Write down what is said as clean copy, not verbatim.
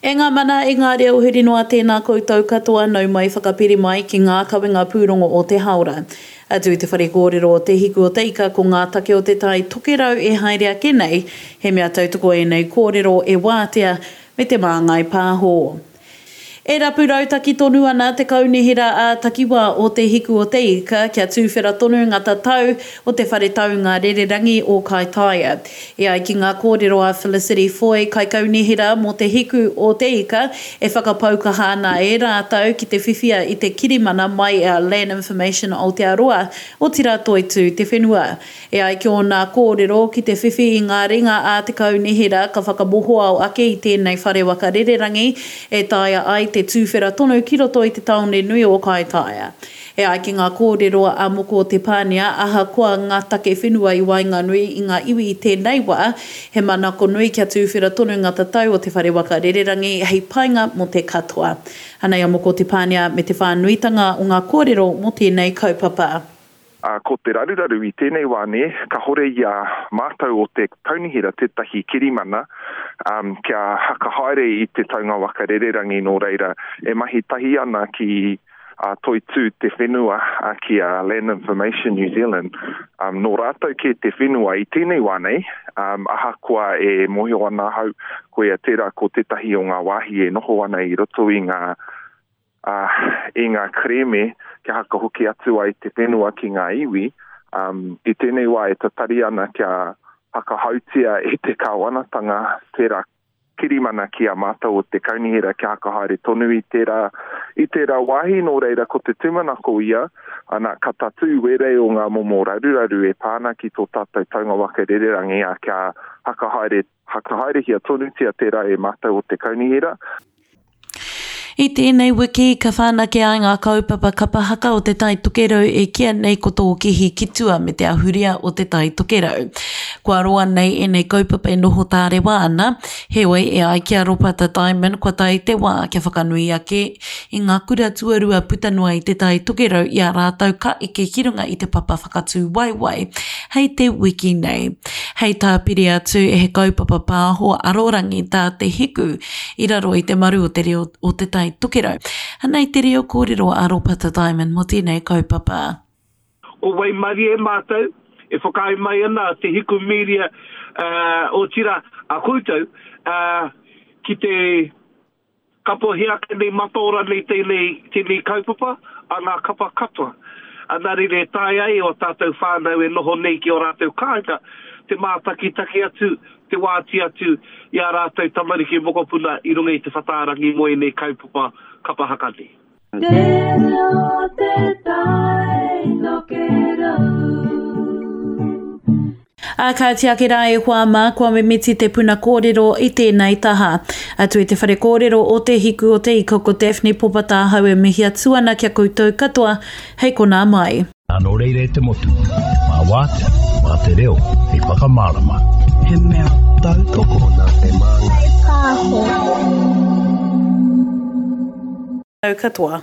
E ngā mana, e ngā reo huri noa tēnā koutou katoa nau mai whakapiri mai ki ngā kawenga pūrongo o te haora. Atu i te whare kōrero o Te Hiku o Te Ika ko ngā take o te Tai Tokerau e haere ake nei, he mea tautoko ēnei kōrero e Wātea me Te Māngai Pāho. E rapu rautaki tonu ana te Kaunihera ā-Takiwā o Te Hiku o Te Ika kia tūwhera tonu ngā tatau o te whare taunga rererangi o Kaitaia. E ai ki ngā kōrero a Felicity Foy, Kaikaunihera mō Te Hiku o Te Ika, e whakapau kaha ana e rātou ki te whiwhia i te kirimana mai a Land Information Aotearoa, otirā Toitū Te Whenua. E ai ki ōna kōrero, ki te whiwhi i ngā ringa a te kaunihera ka whakamohoao ake i tēnei whare waka rererangi e taea ai te tūwhera tonu ki roto i te tāone nui o Kaitaia. E ai ki ngā kōrero a Moko Te Pānia, ahakoa ngā take whenua i waenganui i ngā iwi i tēnei wā, he manako nui kia tūwhera tonu ngā tatau o te whare waka rererangi hei painga mō te katoa. Anei a Moko Te Pānia me te whānuitanga o ngā kōrero mō tēnei kaupapa. Ā, ko te raruraru i tēnei wā nē, kahore i a mātou o te kaunihera tētahi kirimana, ā, kia hakahaere i te taunga waka rererangi nō reira, e mahi tahi ana ki a Toitū Te Whenua, ā, ki a Land Information New Zealand, ā, nō rātou kē te whenua i tēnei wā nei, ā, ahakoa e mōhio ana ahau, koia tērā ko tētahi o ngā wāhi e noho ana i roto i ngā ā, i ngā kerēme kia hakahoki atu ai te whenua ki ngā iwi, ā, i tēnei wā e tatari ana kia hakahautia e te kāwanatanga tērā kirimana ki a mātou o te kaunihera kia hakahaere tonu i tērā, i tērā wāhi, nō reira ko te tūmanako ia, ana, ka tatū wērei o ngā momo raruraru e pā ana ki tō tātou taunga waka rererangi, ā, kia hakahaere, hakahaerehia tonutia tērā e mātou o te kaunihera. I tēnei wiki, ka whanake ai ngā kaupapa kapa haka o Te Tai Tokerau e kīia nei ko Tō Kihi ki Tua me te ahurea o Te Tai Tokerau. Kua roa nei ēnei kaupapa e noho tārewa ana, heoi e ai ki a Ropata Diamond kua tae te wā kia whakanui ake i ngā kura tuarua puta noa i Te Tai Tokerau i a rātou ka eke ki runga i te papa whakatū waewae hei te wiki nei. Hei tāpiri atu, he kaupapa pāho arorangi tā Te Hiku i raro i te maru o te reo o Te Tai Tokerau. Anei te reo kōrero a Ropata Diamond mō tēnei kaupapa. Ko waimarie mātou e whakaae mai ana Te Hiku Media, otirā a koutou, ki te Kapohia ake nei mataora nei tēnei, tēnei kaupapa a ngā kapa katoa. Nā reira e taea ai ō tātou whānau e noho nei ki ō rātou kāinga te mātakitaki atu, te wāti atu i ā rātou tamariki mokopuna i runga i te whatārangi mō ēnei kaupapa kapa haka nei. Te reo te tai tokerau. Ā, kāti ake rā e hoa mā, kua mimiti te puna kōrero i tēnei taha. Atu i te whare kōrero o Te Hiku o Te Ika ko Daphne Popa tāhau e mihi atu ana ki a koutou katoa hei konā mai. Ā, nō reira e te motu, mā Wātea, mā te reo hei whakamārama. He mea tautoko nā Te Māngai Pāho. Katoa.